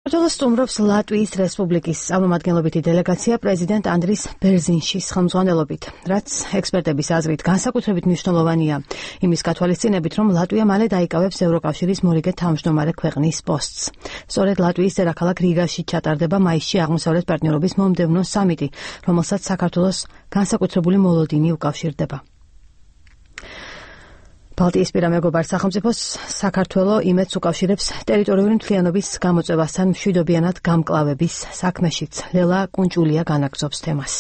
საქართველოს სტუმრობს ლატვიის რესპუბლიკის წარმომადგენლობითი დელეგაცია პრეზიდენტ ანდრის ბერზინშის ხელმძღვანელობით, რაც ექსპერტების აზრით განსაკუთრებით მნიშვნელოვანია იმის გათვალისწინებით, რომ ლატვია მალე დაიკავებს ევროკავშირის მორიგე თავმჯდომარე ქვეყნის პოსტს. სწორედ ლატვიის დედაქალაქ რიგაში ჩატარდება მაისში აღმოსავლეთ პარტნიორობის მომდევნო სამიტი, რომელსაც საქართველოს განსაკუთრებული მოლოდინი უკავშირდება. ბალტიისპირა მეგობარ სახელმწიფოს საქართველო იმედს უკავშირებს ტერიტორიული მთლიანობის გამოწვევასთან მშვიდობიანად გამკლავების საქმეშიც. ლელა კუნჭულია განაგრძობს თემას.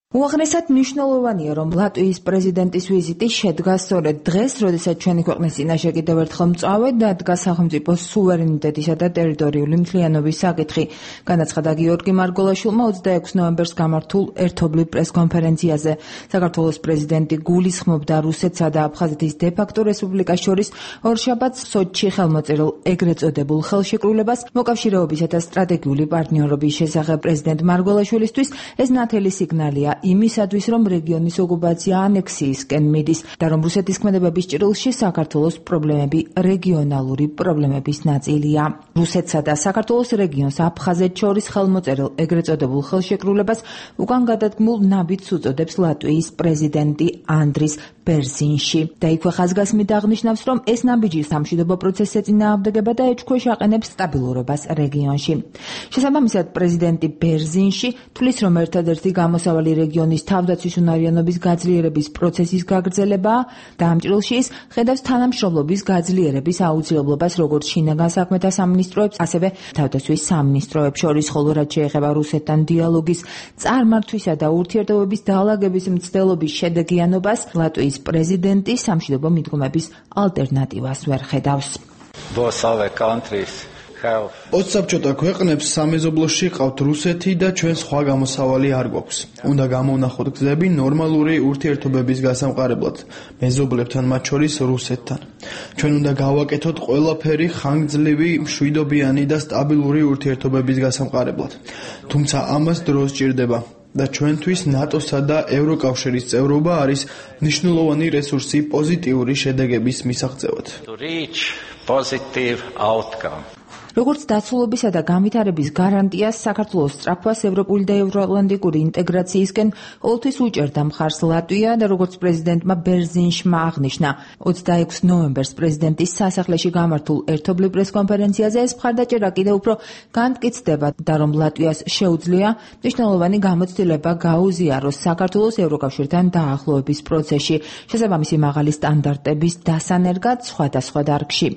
უაღრესად მნიშვნელოვანია, რომ ლატვიის პრეზიდენტის ვიზიტი შედგა სწორედ დღეს, როდესაც ჩვენი ქვეყნის წინაშე კიდევ ერთხელ მწვავედ დადგა სახელმწიფოს სუვერენიტეტისა და ტერიტორიული მთლიანობის საკითხი, განაცხადა გიორგი მარგოლაშვილმა 26 ნოემბერს გამართულ ერთობლივ პრესკონფერენციაზე. საქართველოს პრეზიდენტი გულისხმობდა რუსეთსა და აფხაზეთის დე-ფაქტო რესპუბლიკას შორის ორშაბათს სოჩში ხელმოწერილ ეგრეთ წოდებულ ხელშეკრულებას მოკავშირეობისა და სტრატეგიული პარტნიორობის შესახებ. პრეზიდენტ მარგოლაშვილისთვის ეს ნათელი სიგნალია იმისათვის, რომ რეგიონის ოკუპაცია ანექსიისკენ მიდის და რომ რუსეთის ქმედებების ჭრილში საქართველოს პრობლემები რეგიონალური პრობლემების ნაწილია. რუსეთსა და საქართველოს რეგიონს აფხაზეთს შორის ხელმოწერილ ეგრეთ წოდებულ ხელშეკრულებას უკან გადადგმულ ნაბიჯს უწოდებს ლატვიის პრეზიდენტი ანდრის ბერზინში და იქვე ხაზგასმით აღნიშნავს, რომ ეს ნაბიჯი სამშვიდობო პროცესს ეწინააღმდეგება და ეჭქვეშ აყენებს სტაბილურობას რეგიონში. შესაბამისად, პრეზიდენტი ბერზინში თვლის, რომ ერთადერთი გამოსავალი რეგიონის თავდაცვის უნარიანობის გაძლიერების პროცესის გაგრძელებაა და ამ ჭრილში ის ხედავს თანამშრომლობის გაძლიერების აუცილებლობას როგორც შინაგან საქმეთა სამინისტროებს, ასევე თავდაცვის სამინისტროებს შორის, ხოლო რაც შეეხება რუსეთთან დიალოგის წარმართვისა და ურთიერთობების დაალაგების მცდელობის შედეგიანობას, ლატვიის პრეზიდენტი სამშვიდობო მიდგომების ალტერნატივას ვერ ხედავს. ოცსაბჭოთა ქვეყნებს სამეზობლოში ყავთ რუსეთი და ჩვენ სხვა გამოსავალი არ გვაქვს. უნდა გამოვნახოთ გზები ნორმალური ურთიერთობების გასამყარებლად მეზობლებთან, მათ შორის რუსეთთან. ჩვენ უნდა გავაკეთოთ ყველაფერი ხანგრძლივი, მშვიდობიანი და სტაბილური ურთიერთობების გასამყარებლად. თუმცა ამას დრო სჭირდება. და ჩვენთვის ნატოსა და ევროკავშირის წევრობა არის მნიშვნელოვანი რესურსი პოზიტიური შედეგების მისაღწევად. როგორც დაცულობისა და განვითარების გარანტიას, საქართველოს სწრაფვას ევროპული და ევროატლანტიკური ინტეგრაციისკენ ყოველთვის უჭერდა მხარს ლატვია და როგორც პრეზიდენტმა ბერზინშმა აღნიშნა 26 ნოემბერს პრეზიდენტის სასახლეში გამართულ ერთობლივ პრესკონფერენციაზე, ეს მხარდაჭერა კიდევ უფრო განმტკიცდება და რომ ლატვიას შეუძლია მნიშვნელოვანი გამოცდილება გაუზიაროს საქართველოს ევროკავშირთან დაახლოების პროცესში, შესაბამისი მაღალი სტანდარტების დასანერგად სხვადასხვა დარგში.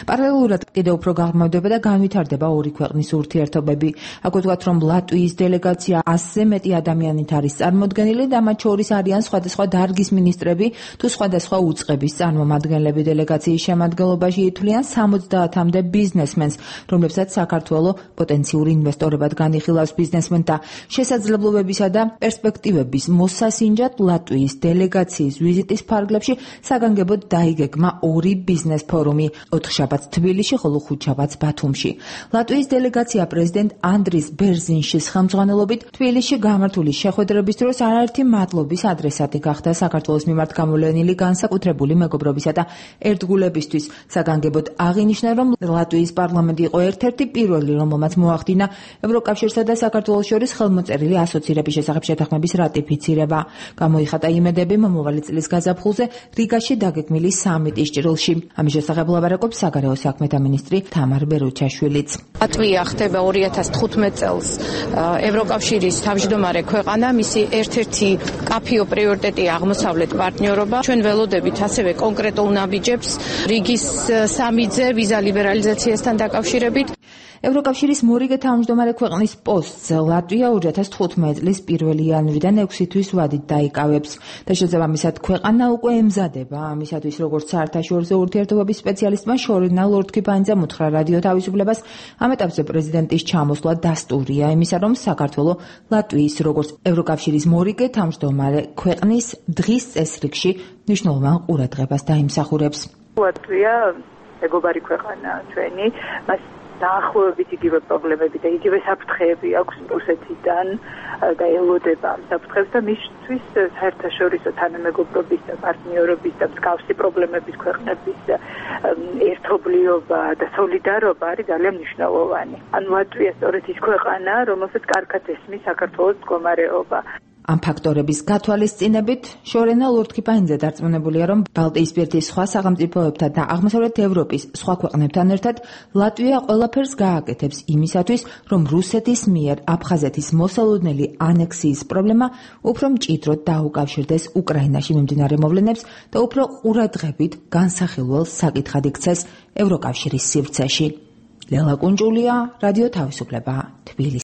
პარალელურად კიდევ უფრო გაღრმავდება და განვითარდება ორი ქვეყნის ურთიერთობები. აქ ვთქვათ, რომ ლატვიის დელეგაცია 100-ზე მეტი ადამიანით არის წარმოდგენილი და მათ შორის არიან სხვადასხვა დარგის მინისტრები თუ სხვადასხვა უწყების წარმომადგენლები. დელეგაციის შემადგენლობაში ითვლიან 70-მდე ბიზნესმენს, რომლებსაც საქართველო პოტენციურ ინვესტორებად განიხილავს. ბიზნესმენთა შესაძლებლობებისა და პერსპექტივების მოსასინჯად ლატვიის დელეგაციის ვიზიტის ფარგლებში საგანგებოდ დაიგეგმა ორი ბიზნეს ფორუმი, 4 შაბათს თბილისში, ხოლო 5 შაბათს ბათუმში. ლატვიის დელეგაცია პრეზიდენტ ანდრის ბერზინშის ხელმძღვანელობით თბილისში გამართული შეხვედრების დროს არაერთი მადლობის ადრესატი გახდა საქართველოს მიმართ გამოვლენილი განსაკუთრებული მეგობრობისა და ერთგულებისთვის. საგანგებოდ აღინიშნა, რომ ლატვიის პარლამენტი იყო ერთ-ერთი პირველი, რომელმაც მოახდინა ევროკავშირსა და საქართველოს შორის ხელმოწერილი ასოცირების შესახებ შეთანხმების რატიფიცირება. გამოიხატა იმედები მომავალი წლის გაზაფხულზე რიგაში დაგეგმილი სამიტის ჭრილში. ამის შესახებ ლაბარაკობს საგარეო საქმეთა მინისტრი თამარ ბერუჩაშვილიც. ლატვია ხდება 2015 წელს ევროკავშირის თავმჯდომარე ქვეყანა, მისი ერთ-ერთი კაფიო პრიორიტეტია აღმოსავლეთ პარტნიორობა. ჩვენ ველოდებით ასევე კონკრეტულ ნაბიჯებს რიგის სამიძე ვიზა ლიბერალიზაციასთან დაკავშირებით. ევროკავშირის მორიგე თავმჯდომარე ქვეყნის პოსტს ლატვია 2015 წლის 1 იანვრიდან 6 თვის ვადით დაიკავებს და შესაბამისად ქვეყანა უკვე ემზადება ამისათვის, როგორც საერთაშორისო ურთიერთობების სპეციალისტმა შორინა ლორდ-კიპანიძემ უთხრა რადიო თავისუფლებას. ამ ეტაპზე პრეზიდენტის ჩამოსვლა დასტურია იმისა, რომ საქართველო ლატვიის როგორც ევროკავშირის მორიგე თავმჯდომარე ქვეყნის დღის წესრიგში მნიშვნელოვან ყურადღებას დაიმსახურებს. ლატვია მეგობარი ქვეყანა ჩვენი, მას დაახლოებით იგივე პრობლემები და იგივე საფრთხეები აქვს რუსეთიდან და ელოდება ამ საფრთხებს და მისთვის საერთაშორისო თანამეგობრობის და პარტნიორობის და მსგავსი პრობლემების ქვეყნების ერთობლიობა და სოლიდარობა არის ძალიან მნიშვნელოვანი. ანუ ლატვია სწორედ ის ქვეყანა, რომელსაც კარგად ესმის საქართველოს მდგომარეობა. ამ ფაქტორების გათვალისწინებით შორენა ლორდ-კიპაინძე დარწმუნებულია, რომ ბალტიისპირეთის სხვა სახელმწიფოებთან და აღმოსავლეთ ევროპის სხვა ქვეყნებთან ერთად ლატვია ყველაფერს გააკეთებს იმისათვის, რომ რუსეთის მიერ აფხაზეთის მოსალოდნელი ანექსიის პრობლემა უფრო მჭიდროდ დაუკავშირდეს უკრაინაში მიმდინარე მოვლენებს და უფრო ყურადღებით განსახილველ საკითხად იქცეს ევროკავშირის სივრცეში. ლელა კუნჯულია, რადიო თავისუფლება, თბილისი.